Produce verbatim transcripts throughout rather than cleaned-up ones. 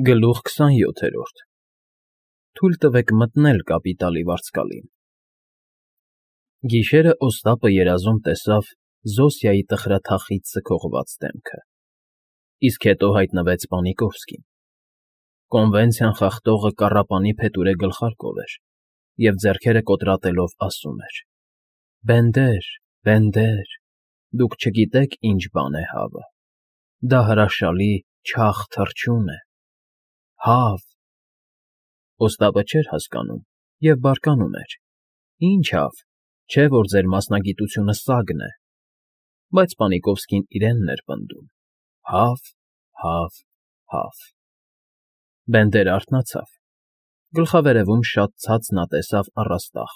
Գլուխ քսանյոթերորդ Թույլ տվեք մտնել կապիտալի վարձկալին։ Գիշերը Օստապը երազում տեսավ Զոսիայի տխրաթախիծ սգողված դեմքը, իսկ հետո հայտնվեց Պանիկովսկին։ Կոնվենցիան խախտողը կառապանի փետուրե գլխարկով էր և ձեռքերը կոտրատելով ասում էր. «Բենդեր, Բենդեր, դուք չգիտեք ինչ բան է հավը, դա հրաշալի չաղ թռչուն է, հավ»։ Օստապը չէր հասկանում և բարկանում էր. «Ինչ հավ, չէ՞ որ ձեր մասնագիտությունը սագն է»։ Բայց Պանիկովսկին իրենն էր պնդում. «Հավ, հավ, հավ»։ Բենդերը արթնացավ. գլխավերևում շատ ցած նա տեսավ առաստաղ,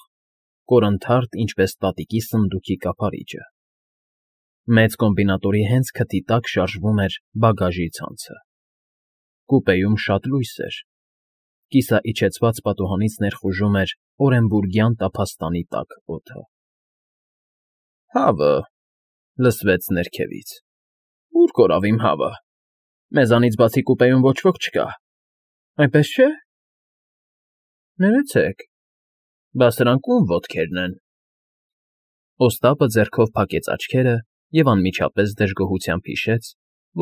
կորնթարթ ինչպես տատիկի սնդուկի կափարիչը։ Մեծ կոմբինատորի հենց քթի տակ շարժվում էր բագաժի ցանցը։ Կուպեում շատ լույս էր, կիսաիջեցված պատուհանից ներխուժում էր օրենբուրգյան տափաստանի տաք օդը։ «Հավը», լսվեց ներքևից, «Ո՞ւր կորավ իմ հավը, մեզանից բացի կուպեում ոչ ոք չկա, այնպես չէ՞։ Ներեցեք, բա սրանք ո՞ւմ ոտքերն են»։ Օստապը ձեռքով փակեց աչքերը և անմիջապես դժգոհությամբ հիշեց,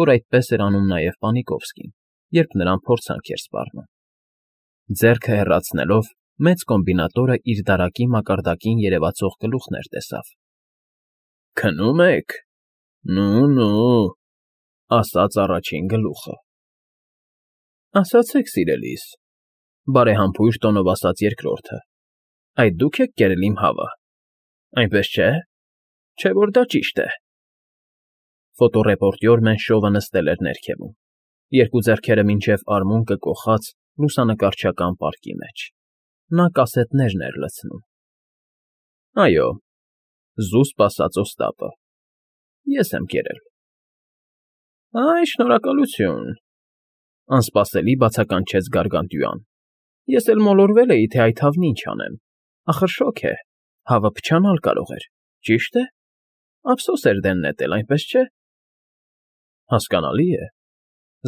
որ այդպես էր անում նաև Պանիկովսկին, երբ նրան փորձանք էր սպառնում։ Ձեռքը հեռացնելով՝ մեծ կոմբինատորը իր դարակի մակարդակին երևացող գլուխներ տեսավ։ «Քնում եք, նո՛ւ֊նո՛ւ», ասաց առաջին գլուխը։ «Ասացեք, սիրելիս», բարեհամբույր տոնով ասաց երկրորդը, «այդ դուք եք կերել իմ հավը, այնպես չէ՞, չէ՞ որ դա ճիշտ է»։ Ֆոտոռեպորտյոր Մենշովը նստել էր ներքևում, երկու ձեռքերը մինչև արմունկը կոխած լուսանկարչական պարկի մեջ։ Նա կասետներն էր լցնում։ «Այո», զուսպ ասաց Օստապը, «ես եմ կերել»։ «Այ, շնորհակալություն», անսպասելի բացականչեց Գարգանդյուան, «ես էլ մոլորվել էի, թե այդ հավն ինչ անեմ, ախր շոգ է, հավը փչանալ կարող էր, ճիշտ է, ափսոս էր դեն նետել, այնպես չէ»։ «Հասկանալի է»,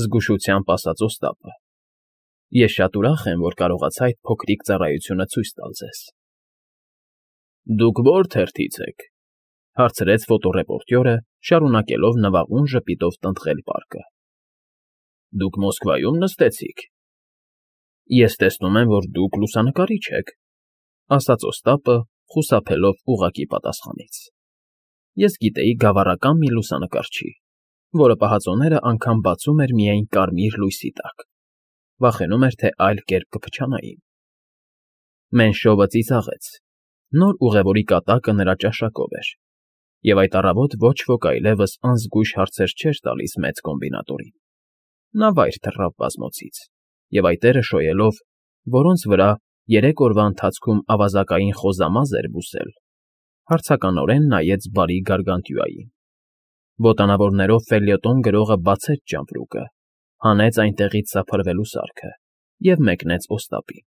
զգուշությամբ ասաց Օստապը, «ես շատ ուրախ եմ, որ կարողացա այդ փոքրիկ ծառայությունը ցույց տալ ձեզ»։ «Դուք ո՞ր թերթից եք», հարցրեց ֆոտոռեպորտյորը, շարունակելով նվաղուն ժպիտով տնտղել պարկը։ «Դուք Մոսկվայում նստեցիք»։ «Ես տեսնում եմ, որ դուք լուսանկարիչ եք», ասաց Օստապը, խուսափելով ուղղակի պատասխանից։ «Ես գիտեի գավառական մի լուսանկարչի, որը պահածոները անգամ բացում էր միայն կարմիր լույսի տակ, վախենում էր, թե այլ կերպ կփչանային»։ Մենշովը ծիծաղեց։ Նոր ուղևորի կատակը նրա ճաշակով էր, և այդ առավոտ ոչ ոք այլևս անզգույշ հարցեր չէր տալիս մեծ կոմբինատորին։ Նա վայր թռավ բազմոցից, և այտերը շոյելով, որոնց վրա երեք օրվա ընթացքում ավազակային խոզամազ էր բուսել, հարցականորեն նայեց բարի Գարգանդյուային։ Ոտանավորներով ֆելյետոն գրողը բացեց ճամպրուկը, հանեց այնտեղից սափրվելու սարքը և մեկնեց Օստապին,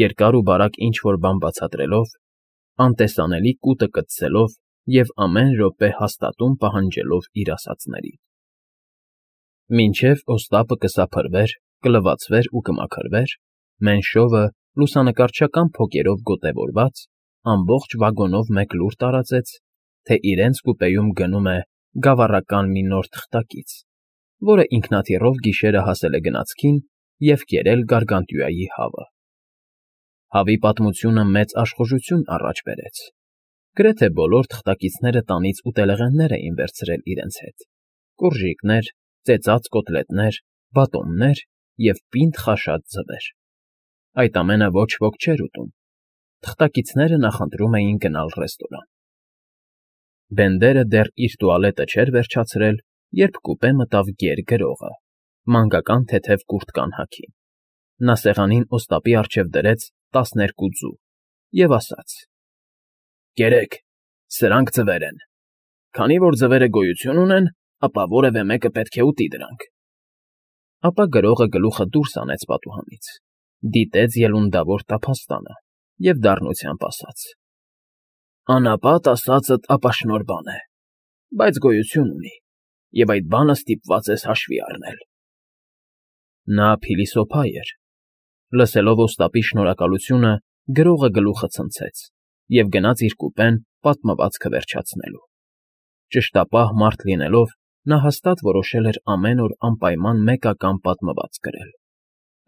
երկար ու բարակ ինչ֊որ բան բացատրելով, անտեսանելի կուտը կծցելով և ամեն րոպե հաստատում պահանջելով իր ասածներին։ Մինչև Օստապը կսափրվեր, կլվացվեր ու կմաքրվեր, Մենշովը, լուսանկարչական փոկերով գոտևորված, ամբողջ վագոնով մեկ լուր տարածեց, թե իրենց կուպեում գնում է գավառական մի նոր թղթակից, որը ինքնաթիռով գիշերը հասել է գնացքին և կերել Գարգանդյուայի հավը։ Հավի պատմությունը մեծ աշխուժություն առաջ բերեց։ Գրեթե բոլոր թղթակիցները տանից ուտելեղեններ էին վերցրել իրենց հետ՝ կոռժիկներ, ծեծած կոտլետներ, բատոններ և պինդ խաշած ձվեր։ Այդ ամենը ոչ ոք չէր ուտում։ Թղթակիցները նախընտրում էին գնալ ռեստորան։ Բենդերը դեռ իր տուալետը չէր վերջացրել, երբ կուպե մտավ գեր գրողը, մանկական թեթև կուրտկան հագին։ Նա սեղանին Օստապի առջև դրեց տասներկու ձու և ասաց. «Կերեք, սրանք ձվեր են։ Քանի որ ձվերը գոյություն ունեն, ապա որևէ մեկը պետք է ուտի դրանք»։ Ապա գրողը գլուխը դուրս հանեց պատուհանից, դիտեց ելունդավոր տափաստանը և դառնությամբ ասաց. «Անապատ ասածդ ապաշնորհ բան է, բայց գոյություն ունի, և այդ բանը ստիպված ես հաշվի առնել»։ Նա փիլիսոփա էր։ Լսելով Օստապի շնորհակալությունը, գրողը գլուխը ցնցեց և գնաց իր կուպեն պատմվածքը վերջացնելու։ Ճշտապահ մարդ լինելով, նա հաստատ որոշել էր ամեն օր անպայման մեկական պատմվածք գրել։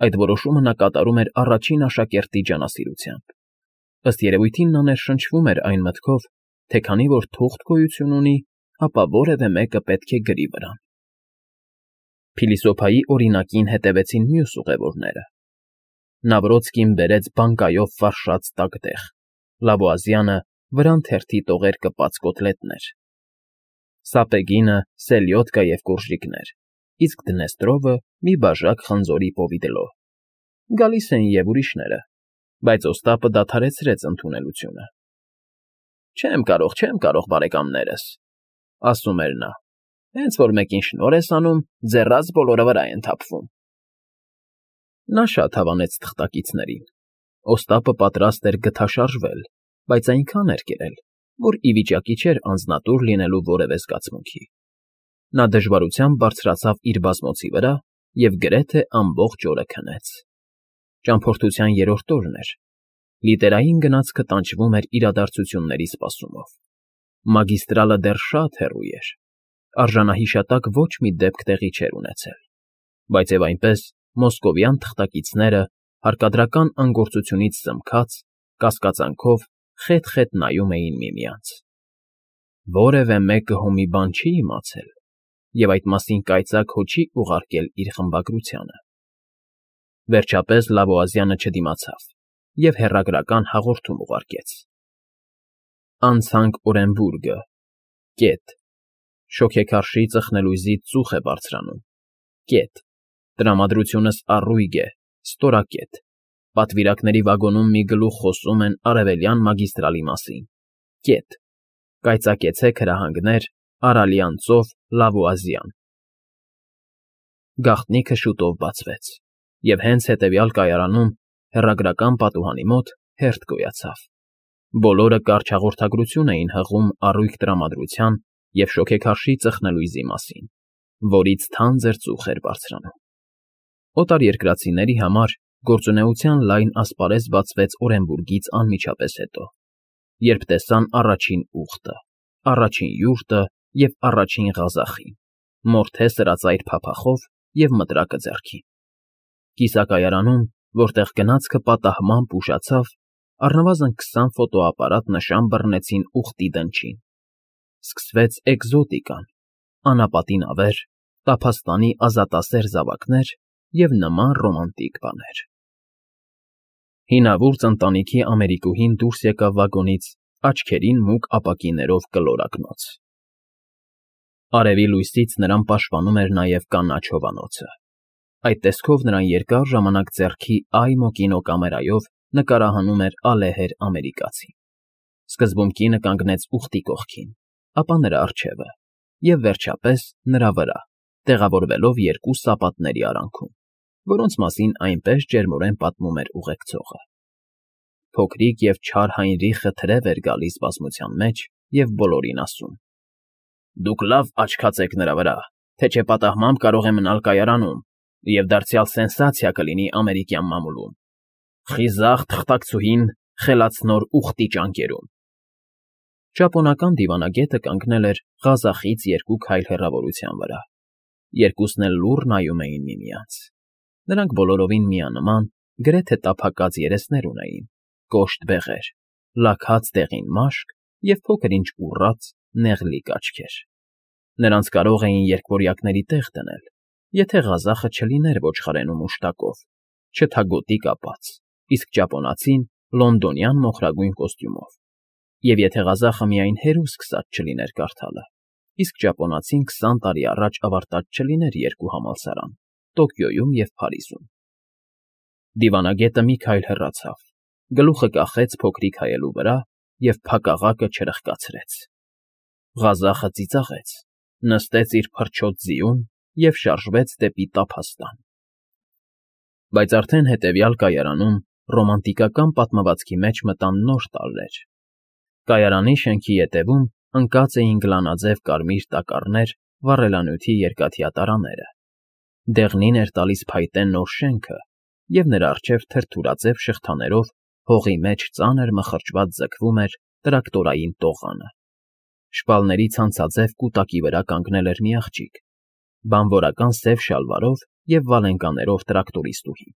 Այդ որոշումը նա կատարում էր առաջին աշակերտի ջանասիրությամբ։ Ըստ երևույթին նա ներշնչվում էր այն մտքով, թե քանի որ թուղթ գոյություն ունի, ապա որևէ մեկը պետք է գրի վրան։ Փիլիսոփայի օրինակին հետևեցին մյուս ուղևորները։ Նավրոցկին բերեց բանկայով ֆարշած տակտեղ, Լավոազյանը վրան թերթի տողեր կպած կոտլետներ, Սապեգինը սելյոդկա և կորժիկներ, իսկ Դնեստրովը մի բաժակ խնձորի պովիդլո։ Գալիս էին և ուրիշները, բայց Օստապը դադարեցրեց ընդունելությունը։ «Չեմ կարող, չեմ կարող, բարեկամներս,֊ ասում էր նա,֊ հենց որ մեկին շնորհ ես անում, ձեռաց բոլորը վրա են թափվում»։ Նա շատ հավանեց թղթակիցներին։ Օստապը պատրաստ էր գթաշարժվել, բայց այնքան էր կերել, որ ի վիճակի չէր անձնատուր լինելու որևէ զգացմունքի։ Նա դժվարությամբ բարձրացավ իր բազմոցի վրա և գրեթե ամբողջ օրը քնեց։ Ճամփորդության երրորդ օրն էր։ Լիտերային գնացքը տանջվում էր իրադարձությունների սպասումով։ Մագիստրալը դեռ շատ հեռու էր։ Արժանահիշատակ ոչ մի դեպք տեղի չէր ունեցել։ Բայց և այնպես մոսկովյան թղթակիցները, հարկադրական անգործությունից զմքած, կասկածանքով խետ֊խետ նայում էին միմյանց։ Որևէ մեկը հո մի բան չի իմացել և այդ մասին կայծակ հո չի ուղարկել իր խմբագրությանը։ Վերջապես Լավոազյանը չդիմացավ և հեռագրական հաղորդում ուղարկեց. «Անցանք Օրենբուրգը. կետ. Շոգեքարշի ծխնելույզից ծուխ է բարձրանում. կետ. Տրամադրությունս առույգ է, ստորակետ. Պատվիրակների վագոնում մի գլուխ խոսում են Արևելյան մագիստրալի մասին. կետ. Կայծակեցեք հրահանգներ, Արալյան ծով, Լավոազյան»։ Գաղտնիքը շուտով բացվեց, և հենց հետևյալ կայարանում, հեռագրական պատուհանի մոտ, հերթ գոյացավ։ Բոլորը կարճ հաղորդագրություն էին հղում առույգ տրամադրության և շոգեքարշի ծխնելույզի մասին, որից թանձր ծուխ էր բարձրանում։ Օտարերկրացիների համար գործունեության լայն ասպարեզ բացվեց Օրենբուրգից անմիջապես հետո, երբ տեսան առաջին ուղտը, առաջին յուրտը և առաջին ղազախին, մորթե սրածայր փափախով և մտրակը ձեռքին։ Կիսակայարանում, որտեղ գնացքը պատահմամբ ուշացավ, առնվազն քսան ֆոտոապարատ նշան բռնեցին ուղտի դնչին։ Սկսվեց էկզոտիկան, անապատի նավեր, տափաստանի ազատասեր զավակներ և նման ռոմանտիկ բաներ։ Հինավուրց ընտանիքի ամերիկուհին դուրս եկավ վագոնից աչքերին մուգ ապակիներով կլորակնոց։ Արևի լույսից նրան պաշտպանում էր նաև կանաչ հովանոցը։ Այդ տեսքով նրան երկար ժամանակ ձեռքի Այմո կինոկամերայով նկարահանում էր ալեհեր ամերիկացին։ Սկզբում կինը կանգնեց ուղտի կողքին, ապա նրա առջևը և, վերջապես, նրա վրա, տեղավորվելով երկու սապատների արանքում, որոնց մասին այնպես ջերմորեն պատմում էր ուղեկցողը։ Փոքրիկ և չար Հայնրիխը թրև էր գալիս բազմության մեջ և բոլորին ասում. «Դուք լավ աչքած եք նրա վրա, թե չէ պատահմամբ կարող է մնալ կայարանում, և դարձյալ սենսացիա կլինի ամերիկյան մամուլում։ Խիզախ թղթակցուհին խելացնոր ուղտի ճանկերում»։ Ճապոնական դիվանագետը կանգնել էր ղազախից երկու քայլ հեռավորության վրա։ Երկուսն էլ լուռ նայում էին միմյանց։ Նրանք բոլորովին միանման, գրեթե տափակած երեսներ ունեին, կոշտ բեղեր, լաքած դեղին մաշկ և փոքր֊ինչ ուռած, նեղլիկ աչքեր։ Նրանց կարող էին երկվորյակների տեղ դնել, եթե ղազախը չլիներ ոչխարենում մուշտակով, չթագոտի կապած, իսկ ճապոնացին լոնդոնյան մոխրագույն կոստյումով, և եթե ղազախը միայն հերուս սկսած չլիներ կարդալը, իսկ ճապոնացին քսան տարի առաջ ավարտած չլիներ երկու համալսարան՝ Տոկիոյում և Փարիզում։ Դիվանագետը մի քայլ հեռացավ, գլուխը կախեց փոքրիկ հայելու վրա և փակաղակը չրխկացրեց։ Ղազախը ծիծաղեց, նստեց իր փրչոտ ձիուն և շարժվեց դեպի տափաստան։ Բայց արդեն հետևյալ կայարանում ռոմանտիկական պատմվածքի մեջ մտան նոր տարրեր։ Կայարանի շենքի ետևում ընկած էին գլանաձև կարմիր տակառներ վառելանյութի երկաթյա տարաները։ Դեղնին էր տալիս փայտե նոր շենքը, և նրա առջև թրթուրաձև շղթաներով հողի մեջ ծանր մխրճված ձգվում էր տրակտորային տողանը։ Շպալների ցանցաձև կուտակի վրա կանգնել էր մի աղջիկ, բանվորական սև շալվարով և վալենկաներով տրակտորիստուհի։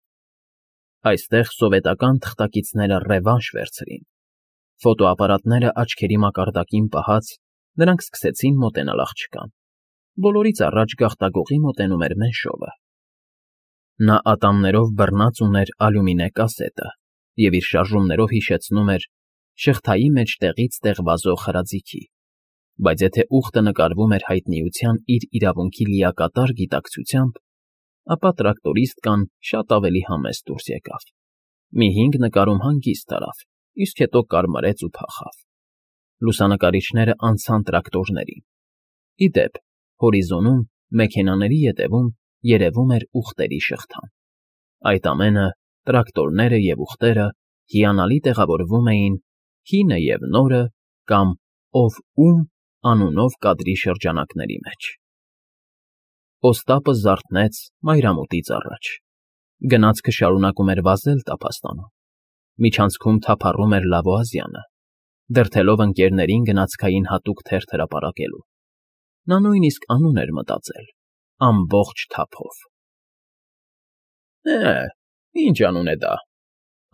Այստեղ սովետական թղթակիցները ռևանշ վերցրին։ Ֆոտոապարատները աչքերի մակարդակին պահած, նրանք սկսեցին մոտենալ աղջկան։ Բոլորից առաջ գաղտագողի մոտենում էր մենշովը։ Նա ատամներով բռնած ուներ ալյումինե կասետը և իր շարժումներով հիշեցնում էր շղթայի մեջ տեղից տեղ վազող հրաձիգի, բայց եթե ուղտը նկարվում էր հայտնիության իր իրավունքի լիակատար գիտակցությամբ, ապա տրակտորիստկան շատ ավելի համեստ դուրս եկավ։ Մի հինգ նկարում հանգիստ արավ, իսկ հետո կարմարեց ու փախավ։ Լուսանկարիչները անցան տրակտորներին։ Ի դեպ, հորիզոնում, մեքենաների ետևում երևում էր ուղտերի շղթան։ Այդ ամենը, տրակտորները և ուղտերը հիանալի տեղավորվում էին «Հինը և նորը» կամ «Ով ում» անունով կադրի շրջանակների մեջ։ Օստապը զարթնեց մայրամուտից առաջ։ Գնացքը շարունակում էր վազել տափաստանում։ Միջանցքում թափառում էր Լավոազյանը, դրդելով ընկերներին գնացքային հատուկ թերթ հրապարակելու։ Նա նույնիսկ անուն էր մտածել՝ ամբողջ թափով։ «Է, ի՞նչ անուն է դա,֊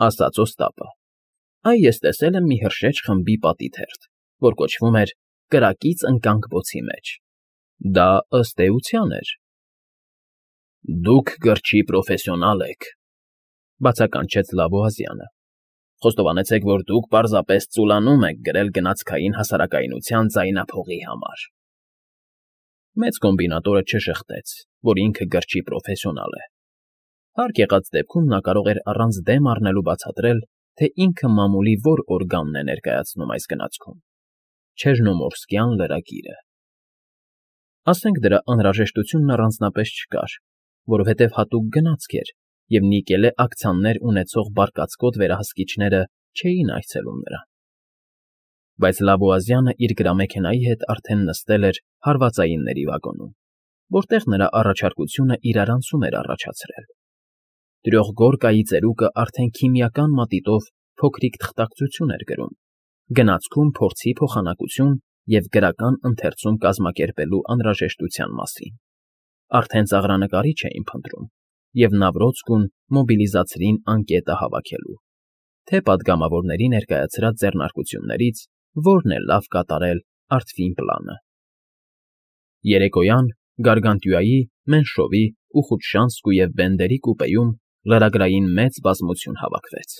ասաց Օստապը։ Այ ես տեսել եմ մի հրշեջ խմբի պատի թերթ, որ կոչվում էր «Կրակից ընկանք բոցի մեջ»։ Դա, ըստ էության, էր»։ Դուք գրչի պրոֆեսիոնալ եք,֊ բացականչեց Լավոազյանը։ Խոստովանեցեք, որ դուք պարզապես ծուլանում եք գրել գնացքային հասարակայնության ձայնափողի համար։ Մեծ կոմբինատորը չժխտեց, որ ինքը գրչի պրոֆեսիոնալ է։ Հարկ եղած դեպքում նա կարող էր առանց դեմ առնելու բացատրել, թե ինքը մամուլի որ օրգանն է ներկայացնում այս գնացքում՝ Չերնոմորսկյան լրագիրը։ Ասենք դրա անհրաժեշտությունն առանձնապես չկար, որովհետև հատուկ գնացք էր, և նիկելե ակցիաներ ունեցող բարկացկոտ վերահսկիչները չէին այցելում նրան։ Բայց Լավոազյանը իր գրամեքենայի հետ արդեն նստել էր հարվածայինների վագոնում, որտեղ նրա առաջարկությունը իրարանցում էր առաջացրել։ Տրյողգորկայի ծերուկը արդեն քիմիական մատիտով փոքրիկ թղթակցություն էր գրում, գնացքում փորձի փոխանակություն և գրական ընթերցում կազմակերպելու անհրաժեշտության մասին։ Արդեն ծաղրանկարիչ էին փնտրում, և Նավրոցկուն մոբիլիզացրին անկետը հավաքելու, թե պատգամավորների ներկայացրած ձեռնարկություններից որն է լավ կատարել արթվին պլանը։ Երեկոյան Գարգանտյուայի, Մենշովի, Ուխուտշանսկու և Բենդերի կուպեում լրագրային մեծ բազմություն հավաքվեց։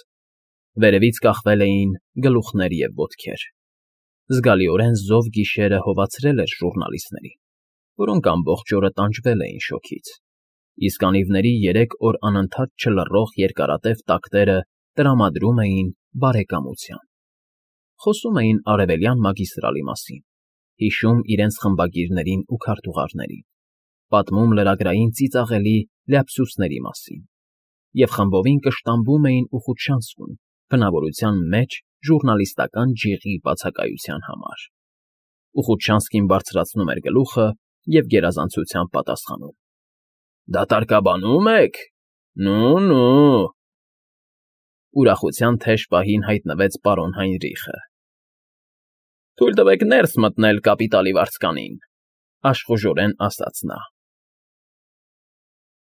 Վերևից կախվել էին գլուխներ և ոտքեր։ Զգալիորեն զով գիշերը հովացրել էր ժուռնալիստներին, որոնք ամբողջ օրը տանջվել էին շոգից, իսկ անիվների երեք օր անընդհատ չլռող երկարատև տակտերը տրամադրում էին բարեկամության։ Խոսում էին Արևելյան մագիստրալի մասին, հիշում իրենց խմբագիրներին ու քարտուղարներին, պատմում լրագրային ծիծաղելի լյապսուսների մասին և խմբովին կշտամբում էին Ուխուտշանսկուն բնավորության մեջ ժուռնալիստական ջիղի բացակայության համար։ Ուխուտշանսկին բարձրացնում էր գլուխը և գերազանցությամբ պատասխանում. Դատարկաբանո՞ւմ եք։ Նու՛֊նու… Ուրախության թեժ պահին հայտնվեց պարոն Հայնրիխը։ Թույլ տվեք ներս մտնել կապիտալի վարձկանին,֊ աշխուժորեն ասաց նա։